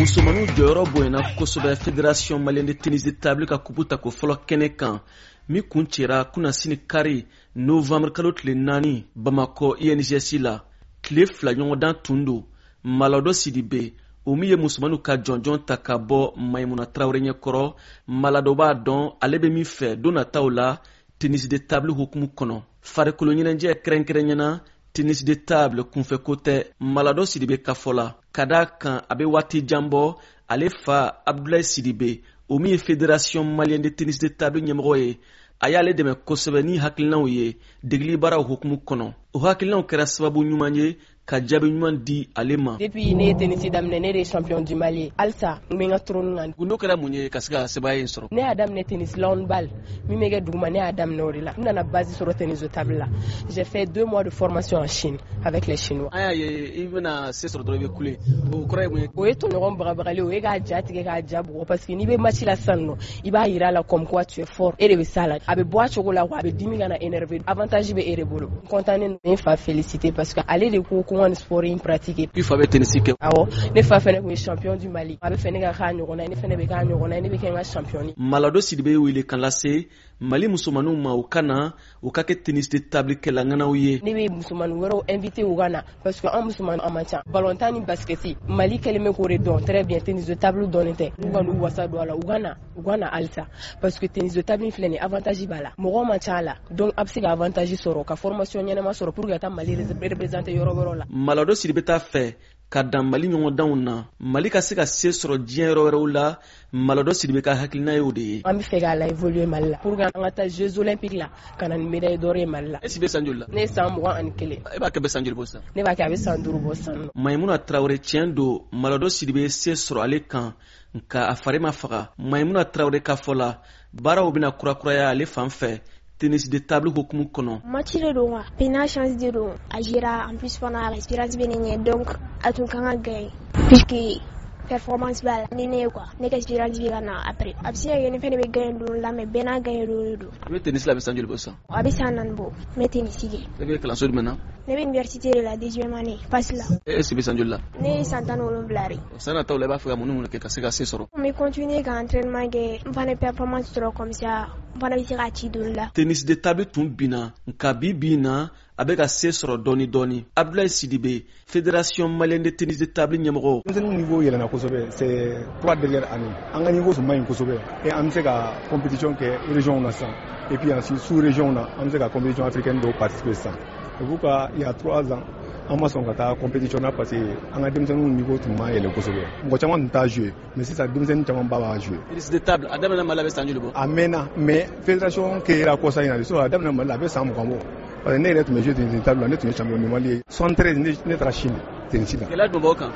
Musomaninw jɔyɔrɔ bonyana kosɛbɛ Fédération malienne de tennis de table ka kupu tako fɔlɔ kɛnɛ kan, min kuncɛra kunasini kari novembre kalo tile 4 Bamakɔ INGS la. Tile 2 ɲɔgɔndan tun don. Maladɔ Sidibe, o min ye musomaninw ka jɔnjɔn ta ka bɔ Mayimuna Tarawele ɲɛkɔrɔ, Maladɔ b'a dɔn ale bɛ min fɛ don nataw la tennis de table hukumu kɔnɔ. Farikolo ɲɛnajɛ, kɛrɛnkɛrɛnyana tennis de table, kunfɛko tɛ Maladɔ Sidibe ka fɔ la, ka d'a kan a bɛ waati jan bɔ, ale fa Abdulayi Sidibe, o min ye Fédération malienne de tennis de table ɲɛmɔgɔ ye, a y'ale dɛmɛ kosɛbɛ ni hakilinaw ye degeli baaraw hukumu kɔnɔ. O hakilinaw kɛra sababu ɲuman ye ka jaabi ɲuman di ale ma. Depuis ne ye tennis daminɛ, ne de ye champion du Mali ye. Halisa n bɛ n ka trône kan. Gundo kɛra mun ye ka se ka sebaaya in sɔrɔ? Ne y'a daminɛ tennis lawn ball min bɛ kɛ duguma, ne y'a daminɛ o de la. N nana base sɔrɔ tennis de table la. J'ai fait 2 mois de formation en Chine avec les Chinois. An y'a ye i bɛna se sɔrɔ dɔrɔn, i bɛ kule. O kɔrɔ ye mun ye? O ye tɔɲɔgɔn bagabagali, o ye k'a ja tigɛ, k'a ja bugɔ, parce que n'i bɛ match la sisan nɔ, i b'a yira a la comme quoi tu es fort, e de bɛ s'a la. A bɛ bɔ a cogo la quoi, a bɛ dimi ka na énervé, avantage bɛ e de bolo. N content ne n fa féliciter parce que ale de ko ko n ka nin sport in pratiquer. I fa bɛ tennis kɛ? Awɔ, ne fa fɛnɛ kun ye champion du Mali. A bɛ fɛ ne ka k'a ɲɔgɔnna ye, ne fɛnɛ bɛ k'a ɲɔgɔnna ye, ne bɛ kɛ n ka champion ye. Maladɔ Sidibe ye wele kan lase Mali musomaninw ma, u ka na u ka kɛ tennis de table kɛlaŋanaw ye. Ne bɛ musomanin wɛrɛw invité u ka na, parce que an musomanin, an man ca. Ballon ni basket, Mali kɛlen bɛ k'o de dɔn très bien, tennis de table dɔnnen tɛ. U ka n'u wasa don a la, u ka na, u ka na halisa, parce que tennis de table filɛ nin, avantage b'a la, mɔgɔw man ca a la, donc a bɛ se ka avantage sɔrɔ, ka formation ɲɛnama sɔrɔ pour que ka taa Mali représenter yɔrɔ wɛrɛw la. Maladɔ Sidibe t'a fɛ ka dan Mali ɲɔgɔndanw na, Mali ka se ka se sɔrɔ diɲɛ yɔrɔ wɛrɛw la. Maladɔ Sidibe ka hakilina ye o de ye. An bɛ fɛ k'a la évoluer Mali la pour que an ka taa Jeux olympiques la, ka na ni médaille d'or ye Mali la. E si bɛ san joli la? Ne ye san 21. E b'a kɛ bɛ san joli bɔ sisan? Ne b'a kɛ, a bɛ san 5 bɔ sisan nɔ. Mayimuna Tarawele, tiɲɛ don, Maladɔ Sidibe ye se sɔrɔ ale kan, nka a fari ma faga. Mayimuna Tarawele ka fɔ la, baaraw bɛna kurakuraya ale fan fɛ tennis de table hukumu kɔnɔ. Match de don quoi, bɛɛ chance de don. A gera, en plus fana a expérience bɛ ne ɲɛ, donc a tun kan ka gagner puisque performance b'a la ni ne ye quoi. Ne ka expérience bɛ ka na après, a bɛ se ka kɛ ne fɛnɛ bɛ gagner don la, mais bɛɛ n'a gagner don de don. I bɛ tennis la, a bɛ san joli bɔ sisan? A bɛ san 4 bɔ n bɛ tennis kɛ. E bɛ kalanso jumɛn na? Ne bɛ université de la, deuxième année, PASS la. E si bɛ san joli la? Ne ye san 17 de. San nataw la, i b'a fɛ ka mun ni mun kɛ ka se ka se sɔrɔ? N bɛ continuer ka entraînement kɛ, n fana performance sɔrɔ, comme ça n fana bɛ se k'a ci don la. Tennis de table tun binna, nka bi bi in na, a bɛ ka se sɔrɔ dɔɔni dɔɔni. Abdulayi Sidibe, Fédération malienne de tennis de table ɲɛmɔgɔ. Denmisɛnninw niveau yɛlɛnna kosɛbɛ ces 3 dernières années. An ka niveau tun man ɲi kosɛbɛ et an bɛ se ka compétition kɛ région na sisan, et puis ensuite sous région na, an bɛ se ka compétition africaine dɔw participer sisan. C'est pourquoi il y a 3 ans, an ma sɔn ka taa compétition na, parce que an ka denmisɛnninw niveau tun ma yɛlɛ kosɛbɛ, mɔgɔ caman tun t'a jouer, mais sisan denmisɛnnin caman ba b'a jouer. Tennis de table, a daminɛ Mali la, bɛ san joli bɔ? A mɛnna, mais fédération créera kɔsa in na de. Sinon a daminɛ Mali la, a bɛ san 20 bɔ, parce que ne yɛrɛ tun bɛ jouer tennis de table la, ne tun ye champion du Mali ye 73, ne taara Chine tennis la. Gɛlɛya jumɛn b'aw kan?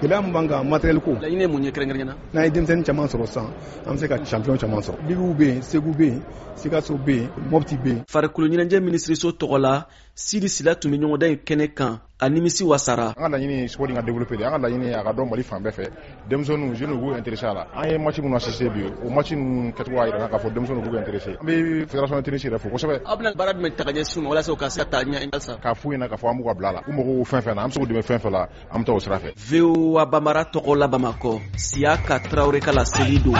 Gɛlɛya min b'an kan, matériel ko. Laɲini ye mun ye kɛrɛnkɛrɛnnenya la? N'an ye denmisɛnnin caman sɔrɔ sisan, an bɛ se ka champion caman sɔrɔ. Ligiw bɛ yen, Segu bɛ yen, Sikaso bɛ yen, Mopti bɛ yen. Farikolo ɲɛnajɛ minisiriso tɔgɔ la, Sidi Sila tun bɛ ɲɔgɔndan in kɛnɛ kan, a nimisi wasara. An ka laɲini ye sport in ka développer de. An ka laɲini ye a ka dɔn Mali fan bɛɛ fɛ, denmisɛnninw, jeunes k'u intéressé a la. An ye match minnu assister bi, o match ninnu kɛcogo y'a jira k'a fɔ denmisɛnninw k'u intéressé. An bɛ fédération de tennis yɛrɛ fo kosɛbɛ. Aw bɛna baara jumɛn ta ka ɲɛsin u ma walasa u ka se ka taa ɲɛ halisa? K'a f'u ɲɛna k'a fɔ an b'u ka bila la, u mago fɛn fɛn na, an bɛ se k'u dɛmɛ fɛn fɛn la, an bɛ taa o sira fɛ. VOA Bambara tɔgɔ la, Bamakɔ, Siyaka Tarawele ka laseli don.